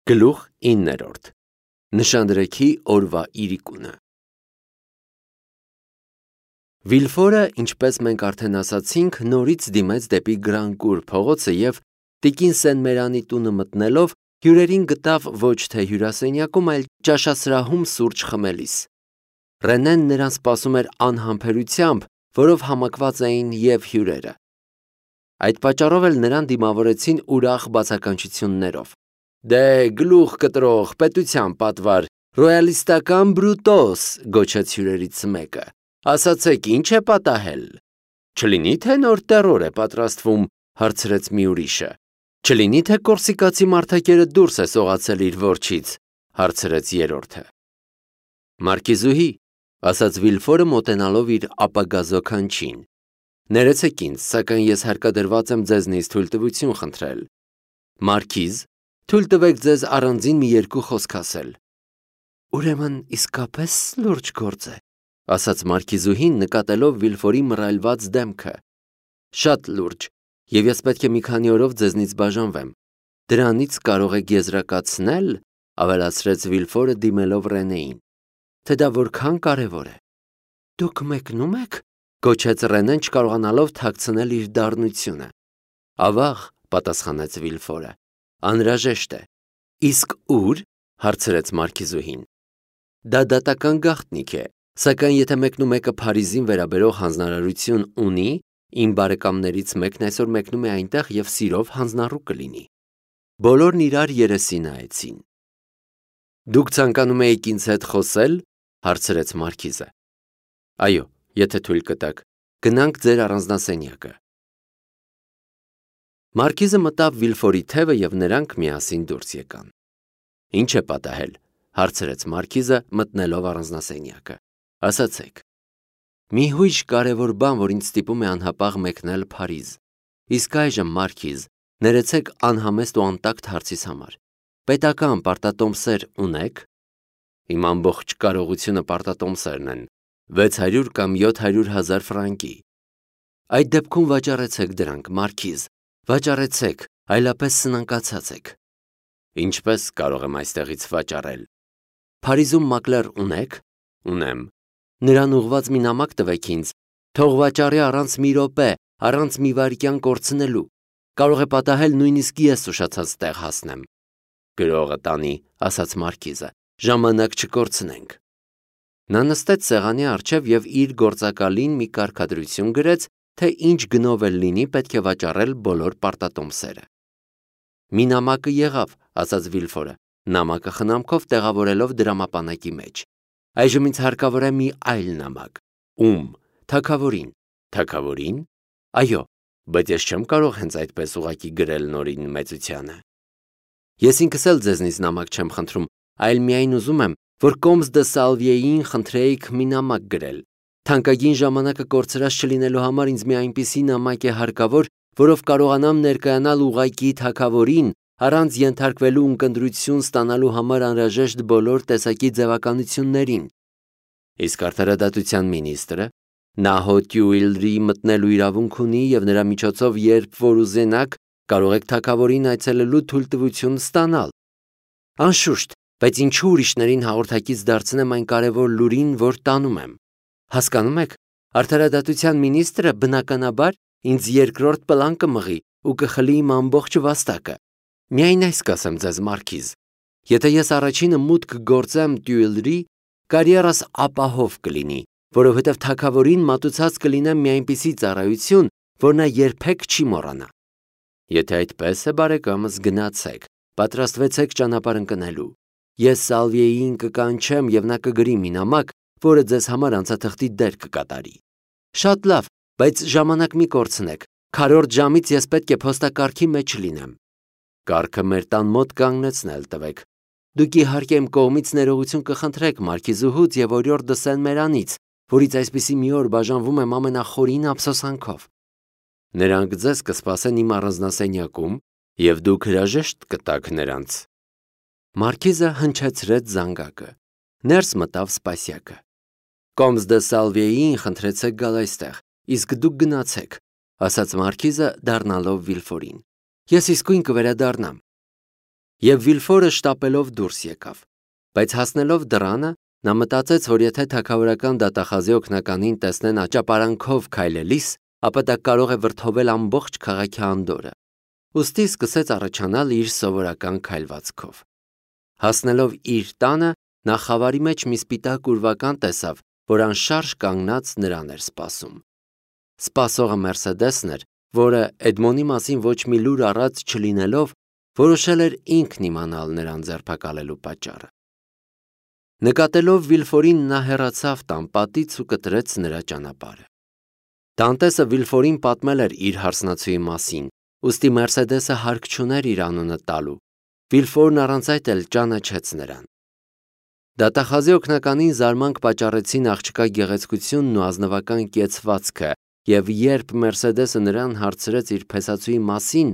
Գլուխ 9. Նշանդրեքի օրվա իրիկունը։ Վիլֆորը, ինչպես մենք արդեն ասացինք, նորից դիմեց դեպի Գրանկուր փողոցը և տիկին Սեն-Մերանի տունը մտնելով հյուրերին գտավ ոչ թե հյուրասենյակում, այլ ճաշասրահում սուրճ խմելիս։ Ռենեն նրան սպասում էր անհամբերությամբ, որով համակված էին և հյուրերը։ Այդ պատճառով էլ նրան դիմավորեցին ուրախ բացականչություններով։ «Դե գլուխ կտրող, պետության պատվար, ռոյալիստական Բրուտոս», գոչեց հյուրերից մեկը, ասացեք, ինչ է պատահել։ «Չլինի թե նոր տերոր է պատրաստվում», հարցրեց մի ուրիշը։ «Չլինի թե կորսիկացի մարդակերը դուրս է սողացել իր որջից», հարցրեց երրորդը։ «Մարկիզուհի», ասաց Վիլֆորը մոտենալով իր ապագա զոքանչին, «ներեցեք ինձ, սակայն ես հարկադրված եմ ձեզնից թույլտվություն խնդրել»։ «Մարքիզ, թույլ տվեք ձեզ առանձին մի երկու խոսք ասել»։ «Ուրեմն իսկապես լուրջ գործ է», ասաց մարքիզուհին, նկատելով Վիլֆորի մռայլված դեմքը։ «Շատ լուրջ, և ես պետք է մի քանի օրով ձեզնից բաժանվեմ։ Դրանից կարող եք եզրակացնել», ավելացրեց Վիլֆորը դիմելով Ռենեին, «թե դա որքան կարևոր է»։ «Դուք մեկնում եք», գոչեց Ռենեն, չկարողանալով թաքցնել իր դառնությունը։ «Ավաղ», պատասխանեց Վիլֆորը, «անհրաժեշտ է»։ «Իսկ ուր», հարցրեց մարքիզուհին։ «Դա դատական գաղտնիք է, սակայն եթե մեկնու մեկը Փարիզին վերաբերող հանձնարարություն ունի, իմ բարեկամներից մեկն այսօր մեկնում է այնտեղ և սիրով հանձնառու կլինի»։ Բոլորն իրար երեսի նայեցին։ «Դուք ցանկանում էիք ինձ հետ խոսել», հարցրեց մարքիզը։ «Այո, եթե թույլ կտաք, գնանք ձեր առանձնասենյակը»։ Մարքիզը մտավ Վիլֆորի թևը և նրանք միասին դուրս եկան։ «Ինչ է պատահել», հարցրեց մարքիզը, մտնելով առանձնասենյակը։ «Ասացեք»։ «Մի հույժ կարևոր բան, որ ինձ ստիպում է անհապաղ մեկնել Փարիզ։ Իսկ այժմ, մարքիզ, ներեցեք անհամեստ ու անտակտ հարցիս համար։ Պետական պարտատոմսեր ունե՞ք»։ «Իմ ամբողջ կարողությունը պարտատոմսերն են, 600 կամ 700 հազար ֆրանկի»։ «Այդ դեպքում վաճառեցեք դրանք, մարքիզ, վաճառեցեք, այլապես սնանկացած եք»։ «Ինչպես կարող եմ այստեղից վաճառել»։ «Փարիզում մակլեր ունե՞ք»։ «Ունեմ»։ «Նրան ուղղված մի նամակ տվեք ինձ, թող վաճառի առանց մի րոպե, առանց մի վայրկյան կորցնելու։ Կարող է պատահել նույնիսկ ես ուշացած տեղ հասնեմ»։ «Գրողը տանի», ասաց մարքիզը, «ժամանակ չկորցնենք»։ Նա նստեց սեղանի առջև և իր գործակալին մի կարգադրություն գրեց, թե ինչ գնով էլ լինի պետք է վաճառել բոլոր պարտատոմսերը։ «Մի նամակը եղավ», ասաց Վիլֆորը, նամակը խնամքով տեղավորելով դրամապանակի մեջ։ «Այժմ ինձ հարկավոր է մի այլ նամակ»։ «Ում»։ «Թագավորին»։ «Թագավորին»։ «Այո, բայց ես չեմ կարող հենց այդպես ուղղակի գրել Նորին մեծությանը»։ «Ես ինքս էլ ձեզնից նամակ չեմ խնդրում, այլ միայն ուզում եմ, որ Կոմս դը Սալվիեին խնդրեիք մի նամակ գրել։ Թանկագին ժամանակը կորցրած չլինելու համար ինձ մի այնպիսի նամակ է հարկավոր, որով կարողանամ ներկայանալ ուղղակի թագավորին, առանց ենթարկվելու ունկնդրություն ստանալու համար անհրաժեշտ բոլոր տեսակի ձևականություններին»։ «Իսկ արդարադատության մինիստրը, նա հո Տյուիլրի մտնելու իրավունք ունի և նրա միջոցով երբ որ ուզենաք, կարող եք թագավորին այցելելու թույլտվություն ստանալ»։ «Անշուշտ, բայց ինչու ուրիշներին հաղորդակից դարձնեմ այն կարևոր լուրին, որ տանում եմ։ Հասկանում եք, արդարադատության մինիստրը, բնականաբար, ինձ երկրորդ պլան կմղի ու կխլի իմ ամբողջ վաստակը։ Միայն այս կասեմ ձեզ, մարքիզ, եթե ես առաջինը մուտք գործեմ Տյուիլրի, կարիերաս ապահով կլինի, որովհետև թագավորին մատուցած կլինեմ մի այնպիսի ծառայություն, որ նա երբեք չի մոռանա»։ «Եթե այդպես է, բարեկամս, գնացեք, պատրաստվեցեք ճանապարհ ընկնելու։ Ես Սալվիեին կկանչեմ և նա կգրի մի նամակ, որը ձեզ համար անցաթղթի դեր կկատարի»։ «Շատ լավ, բայց ժամանակ մի կորցնեք, քառորդ ժամից ես պետք է փոստակարգի մեջ լինեմ»։ «Կառքը մեր տան մոտ կանգնեցնել տվեք։ Դուք իհարկե իմ կողմից ներողություն կխնդրեք մարքիզուհուց և օրիորդը Սեն-Մերանից, որից այսպիսի մի օր բաժանվում եմ ամենախորին ափսոսանքով։ Նրանք ձեզ կսպասեն իմ առանձնասենյակում, և դուք հրաժեշտ կտաք նրանց»։ Մարքիզը հնչեցրեց զանգակը։ Ներս մտավ սպասյակը։ «Կոմս դը Սալվիեին խնդրեցեք գալ այստեղ, իսկ դուք գնացեք», ասաց մարքիզը, դառնալով Վիլֆորին։ «Ես իսկույն կվերադառնամ»։ Եվ Վիլֆորը շտապելով դուրս եկավ, բայց հասնելով դռանը, նա մտածեց, որ եթե թագավորական դատախազի օգնականին տեսնեն աճապարանքով քայլելիս, ապա դա կարող է վրդովել ամբողջ քաղաքի անդորրը, ուստի սկսեց առաջանալ իր սովորական քայլվածքով։ Հասնելով իր տանը, նա խավարի մեջ մի սպիտակ ուրվական տեսավ, որ անշարժ կանգնած նրան էր սպասում։ Սպասողը Մերսեդեսն էր, որը Էդմոնի մասին ոչ մի լուր առած չլինելով, որոշել էր ինքն իմանալ նրան ձերբակալելու պատճառը։ Նկատելով Վիլֆորին, նա հեռացավ տան պատից ու կտրեց նրա ճանապարհը։ Դանտեսը Վիլֆորին պատմել էր իր հարսնացուի մասին, ուստի Մերսեդեսը հարկ չուներ իր անունը տալու։ Վիլֆորն առանց այդ էլ ճանաչեց նրան։ Դատախազի օգնականին զարմանք պատճառեցին աղջկա գեղեցկությունն ու ազնվական կեցվածքը, եւ երբ Մերսեդեսը նրան հարցրեց իր փեսացուի մասին,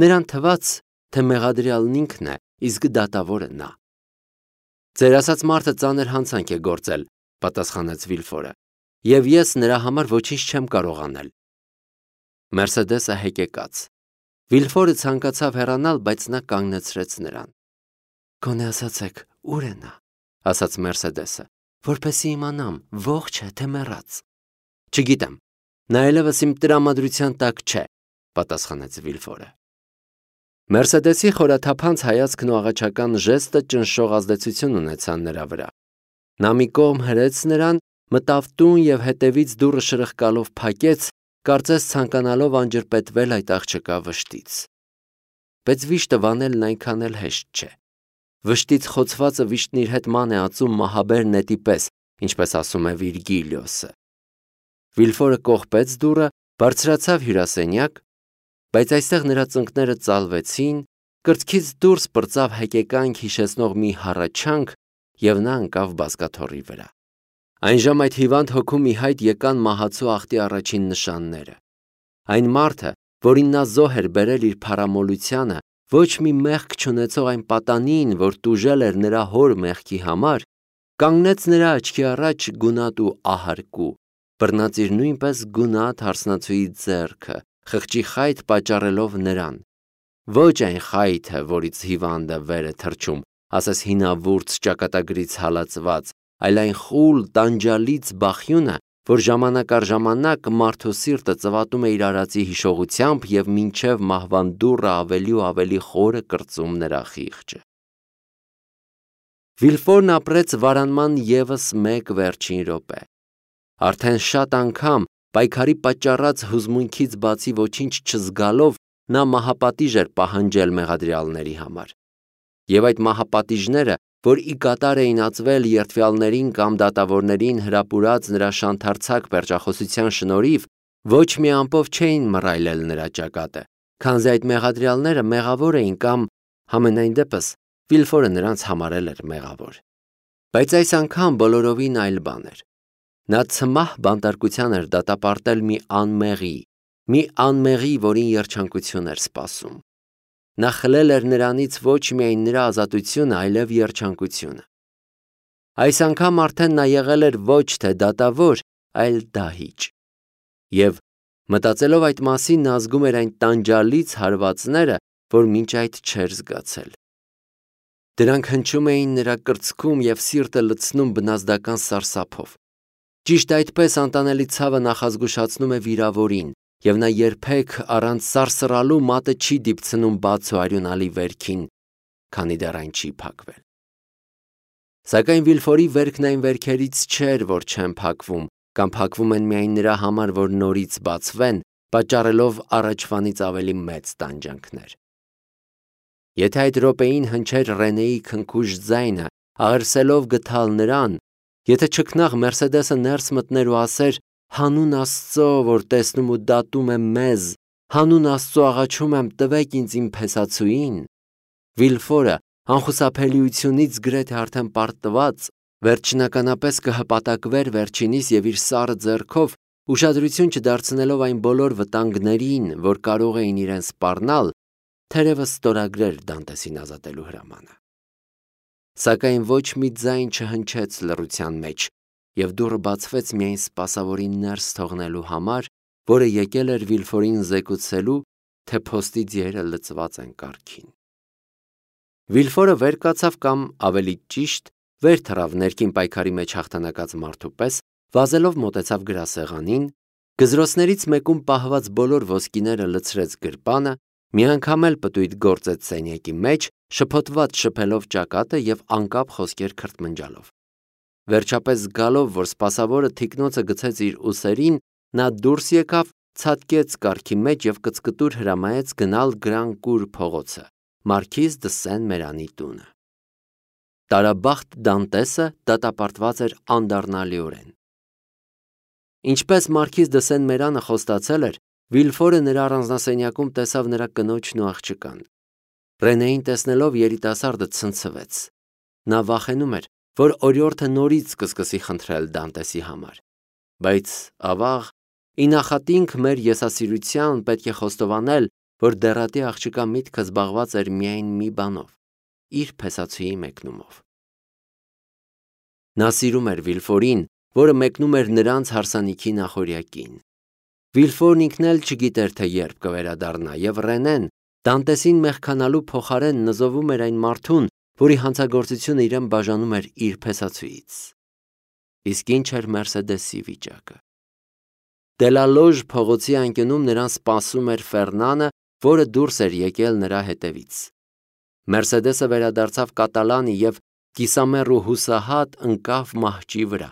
նրան թվաց, թե մեղադրյալն ինքն է, իսկ դատավորը նա։ Ձեր ասած մարդը ծանր հանցանք է գործել, պատասխանեց Վիլֆորը, եւ ես նրա համար ոչինչ չեմ կարող անել։ Մերսեդեսը հեկեկաց։ Վիլֆորը ցանկացավ հեռանալ, բայց նա կանգնեցրեց նրան։ Գոնե ասացեք, ուր է նա, ասաց Մերսեդեսը, որպեսզի իմանամ, ողջ է թե մեռած։ Չգիտեմ, նա այլևս իմ տրամադրության տակ չէ, պատասխանեց Վիլֆորը։ Մերսեդեսի խորաթափանց հայացքն ու աղաչական ժեստը ճնշող ազդեցություն ունեցան նրա վրա։ Նա մի կողմ հրեց նրան, մտավ տուն եւ հետևից դուռը շրխկալով փակեց, կարծես ցանկանալով անջրպետվել այդ աղջկա վշտից։ Բայց վիշտը վանելն այնքան էլ հեշտ չէ։ Վշտից խոցվածը վիշտն իր հետ ման է ածում մահաբեր նետի պես, ինչպես ասում է Վիրգիլիոսը։ Վիլֆորը կողպեց դուռը, բարձրացավ հյուրասենյակ, բայց այստեղ նրա ծնկները ծալվեցին, կրծքից դուրս պրծավ հեկեկանք հիշեցնող մի հառաչանք եւ նա ընկավ բազկաթոռի վրա։ Այն ժամ այդ հիվանդ հոգու մի հայտ եկան մահացու ախտի առաջին նշանները։ Այն մարդը, որին նա զոհ էր բերել իր փարամոլությանը, ոչ մի մեղք չունեցող այն պատանին, որ տուժել էր նրա հոր մեղքի համար, կանգնեց նրա աչքի առաջ գունատ ու ահարկու, բռնած իր նույնպես գունատ հարսնացուի ձեռքը, խղճի խայտ պատճառելով նրան։ Ոչ այն խայթը, որից հիվանդը վեր է թռչում, ասես հինավուրց ճակատագրից հալածված, այլ այն խուլ տանջալից բախյունը, որ ժամանակ առ ժամանակ մարդու սիրտը ծվատում է իր արածի հիշողությամբ եւ մինչև մահվան դուռը ավելի ու ավելի խորը կրծում նրա խիղճը։ Վիլֆորն ապրեց վարանման եւս մեկ վերջին րոպե։ Արդեն շատ անգամ պայքարի պատճառած հուզմունքից բացի ոչինչ չզգալով նա մահապատիժ էր պահանջել մեղադրյալների համար։ Եվ այդ մահապատիժները, որ ի կատար էին ածվել երդվյալներին կամ դատավորներին հրապուրած նրա շանթարցակ պերճախոսության շնորհիվ, ոչ մի ամպով չէին մռայլել նրա ճակատը, քանզի այդ մեղադրյալները մեղավոր էին կամ համենայն դեպս Վիլֆորը նրանց համարել էր մեղավոր։ Բայց այս անգամ բոլորովին այլ բան էր։ Նա ցմահ բանտարկության էր դատապարտել մի անմեղի, որին երջանկություն էր սպասում։ Նա խլել էր նրանից ոչ միայն նրա ազատությունը, այլև երջանկությունը։ Այս անգամ արդեն նա եղել էր ոչ թե դատավոր, այլ դահիճ։ Եվ մտածելով այդ մասին, նա զգում էր այն տանջալից հարվածները, որ մինչ այդ չէր զգացել։ Դրանք հնչում էին նրա կրծքում և սիրտը լցնում բնազդական սարսափով։ Ճիշտ այդպես անտանելի ցավը նախազգուշացնում է վիրավորին, և նա երբեք առանց սարսռալու մատը չի դիպցնում բաց ու արյունալի վերքին, քանի դեռ այն չի փակվել։ Սակայն Վիլֆորի վերքն այն վերքերից չէր, որ չեն փակվում, կամ փակվում են միայն նրա համար, որ նորից բացվեն, պատճառելով առաջվանից ավելի մեծ տանջանքներ։ Եթե այդ րոպեին հնչեր Ռենեի քնքուշ ձայնը, աղերսելով գթալ նրան, եթե չքնաղ Մերսեդեսը ներս մտներ ու ասեր. «Հանուն Աստծո, որ տեսնում ու դատում է մեզ, հանուն Աստծո աղաչում եմ, տվեք ինձ իմ փեսացուին», Վիլֆորը անխուսափելիությունից գրեթե արդեն պարտված, վերջնականապես կհպատակվեր վերջինիս և իր սառը ձեռքով, ուշադրություն չդարձնելով այն բոլոր վտանգներին, որ կարող էին իրեն սպառնալ, թերևս ստորագրեր Դանտեսին ազատելու հրամանը։ Սակայն ոչ մի ձայն չհնչեց լռության մեջ, և դուռը բացվեց միայն սպասավորին ներս թողնելու համար, որը եկել էր Վիլֆորին զեկուցելու, թե փոստի ձիերը լցված են կառքին։ Վիլֆորը վեր կացավ կամ ավելի ճիշտ վեր թռավ ներքին պայքարի մեջ հաղթանակած մարդու պես, վազելով մոտեցավ գրասեղանին, գզրոցներից մեկում պահված բոլոր ոսկիները լցրեց գրպանը, մի անգամ էլ պտույտ գործեց սենյակի մեջ, շփոթված շփելով ճակատը և անկապ խոսքեր քրթմնջալով։ Վերջապես զգալով, որ սպասավորը թիկնոցը գցեց իր ուսերին, նա դուրս եկավ, ցատկեց կառքի մեջ և կծկտուր հրամայեց գնալ Գրան-Կուր փողոցը, Մարքիզ դը Սեն-Մերանի տունը։ Տարաբախտ Դանտեսը դատապարտված էր անդառնալիորեն։ Ինչպես Մարքիզ դը Սեն-Մերանը խոստացել էր, Վիլֆորը նրա առանձնասենյակում տեսավ նրա կնոջն ու աղջկան։ Ռենեին տեսնելով երիտասարդը ցնցվեց։ Նա վախենում էր, որ օրիորդը նորից կսկսի խնդրել Դանտեսի համար։ Բայց ավաղ, ի նախատինք մեր եսասիրության պետք է խոստովանել, որ դեռատի աղջկա միտքը զբաղված էր միայն մի բանով՝ իր փեսացուի մեկնումով։ Նա սիրում էր Վիլֆորին, որը մեկնում էր նրանց հարսանիքի նախօրյակին։ Վիլֆորն ինքն էլ չգիտեր, թե երբ կվերադառնա, և Ռենեն Դանտեսին մեղքանալու փոխարեն նզովում էր այն մարդուն, որի հանցագործությունը իրեն բաժանում էր իր փեսացուից։ Իսկ ինչ էր Մերսեդեսի վիճակը։ Դելալոժ փողոցի անկյունում նրան սպասում էր Ֆերնանը, որը դուրս էր եկել նրա հետևից։ Մերսեդեսը վերադարձավ կատալանի և կիսամեռ ու հուսահատ ընկավ մահճի վրա։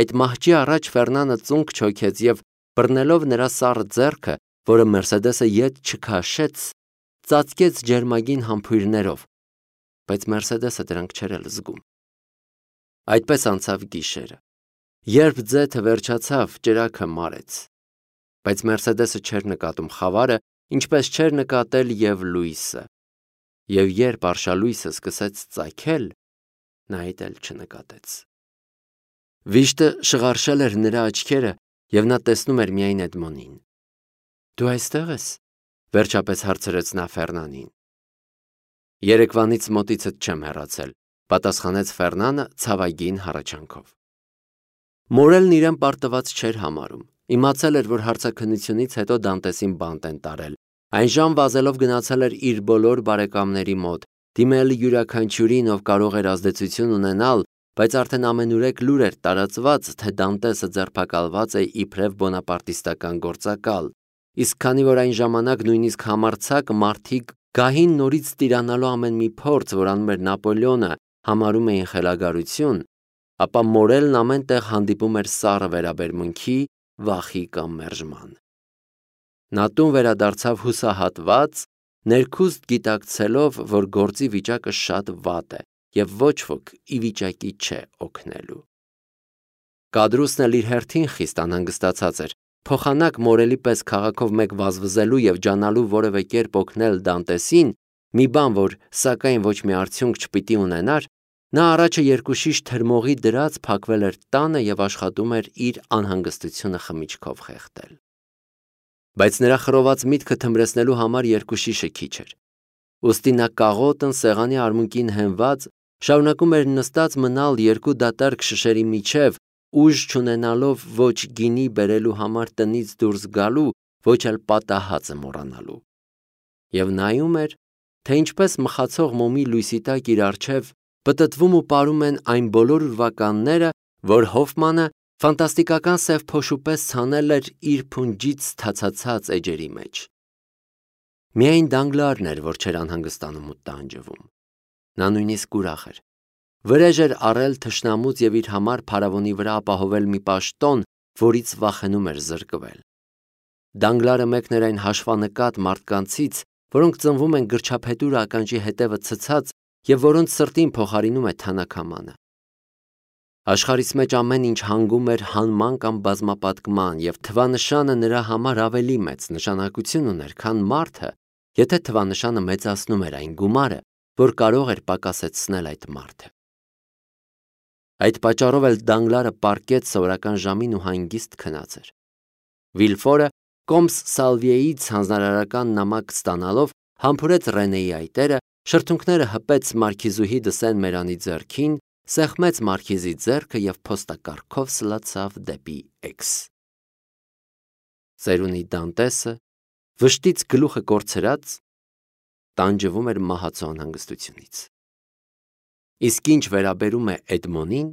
Այդ մահճի առաջ Ֆերնանը ծունկ չոքեց և բռնելով նրա սառը ձեռքը, որը Մերսեդեսը ետ չքաշեց, ծածկեց ջերմագին համբույրներով, բայց Մերսեդեսը դրանք չէր էլ զգում։ Այդպես անցավ գիշերը։ Երբ ձեթը վերջացավ, ճրագը մարեց։ Բայց Մերսեդեսը չէր նկատում խավարը, ինչպես չէր նկատել և լույսը։ Եվ երբ արշալույսը սկսեց ծագել, նա այդ էլ չնկատեց։ Վիշտը շղարշել էր նրա աչքերը, և նա տեսնում էր միայն Էդմոնին։ «Դու այստեղ ես», վերջապես հարցրեց նա Ֆերնանին։ «Երեկվանից մոտիցդ չեմ հեռացել», պատասխանեց Ֆերնանը ցավագին հառաչանքով։ Մորելն իրեն պարտված չէր համարում։ Իմացել էր, որ հարցաքննությունից հետո Դանտեսին բանտ են տարել։ Այնժամ վազելով գնացել էր իր բոլոր բարեկամների մոտ, դիմել յուրաքանչյուրին, ով կարող էր ազդեցություն ունենալ, բայց արդեն ամենուրեք լուր էր տարածված, թե Դանտեսը ձերբակալված է իբրև բոնապարտիստական գործակալ, իսկ քանի որ այն ժամանակ նույնիսկ համարձակ մարդիկ գահին նորից տիրանալու ամեն մի փորձ, որ անում էր Նապոլեոնը, համարում էին խելագարություն, ապա Մորելն ամեն տեղ հանդիպում էր սառը վերաբերմունքի, վախի կամ մերժման։ Նա տուն վերադարձավ հուսահատված, ներքուստ գիտակցելով, որ գործի վիճակը շատ վատ է և ոչ ոք ի վիճակի չէ օգնելու։ Կադրուսն էլ իր հերթին խիստ անհանգստացած էր, փոխանակ Մորելի պես քաղաքով մեկ վազվզելու և ջանալու որևէ կերպ օգնել Դանտեսին, մի բան, որ սակայն ոչ մի արդյունք չպիտի ունենար, նա առաջը երկուշիշ թրմողի դրած փակվել էր տանը և աշխատում էր իր անհանգստությունը խմիչքով խեղդել։ Բայց նրա խռոված միտքը թմրեցնելու համար երկուշիշը քիչ էր։ Ուստի նա կաղոտն սեղանի արմունկին հենված, շարունակում էր նստած մնալ երկու դատարկ շշերի միջև, ուժ չունենալով ոչ գինի բերելու համար տնից դուրս գալու, ոչ էլ պատահածը մոռանալու։ Եվ նայում էր, թե ինչպես մխացող մոմի լույսի տակ իր առջև պտտվում ու պարում են այն բոլոր ուրվականները, որ Հոֆմանը ֆանտաստիկական սև փոշու պես ցանել էր իր փունջից թացացած էջերի մեջ։ Միայն Դանգլարն էր, որ չէր անհանգստանում ու տանջվում։ Նա նույնիսկ ուրախ էր։ Վրեժ էր առել թշնամուց և իր համար փարավոնի վրա ապահովել մի պաշտոն, որից վախենում էր զրկվել։ Դանգլարը մեկն էր այն հաշվանկատ մարդկանցից, որոնք ծնվում են գրչափետուր ականջի հետևը ցցած և որոնց սրտին փոխարինում է թանաքամանը։ Աշխարհիս մեջ ամեն ինչ հանգում էր հանման կամ բազմապատկման, և թվանշանը նրա համար ավելի մեծ նշանակություն ուներ, քան մարդը, եթե թվանշանը մեծացնում էր այն գումարը, որ կարող էր պակասեցնել այդ մարդը։ Այդ պատճառով էլ Դանգլարը պառկեց սովորական ժամին ու հանգիստ քնած էր։ Վիլֆորը Կոմս Սալվիեից հանձնարարական նամակ ստանալով համբուրեց Ռենեի այտերը, շրթունքները հպեց մարքիզուհի դը Սեն-Մերանի ձեռքին, սեղմեց մարքիզի ձեռքը և փոստակառքով սլացավ դեպի Էքս։ Ծերունի Դանտեսը, վշտից գլուխը կորցրած, տանջվում էր մահացու անհանգստությունից։ Իսկ ինչ վերաբերում է Էդմոնին,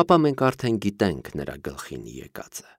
ապա մենք արդեն գիտենք նրա գլխին եկածը։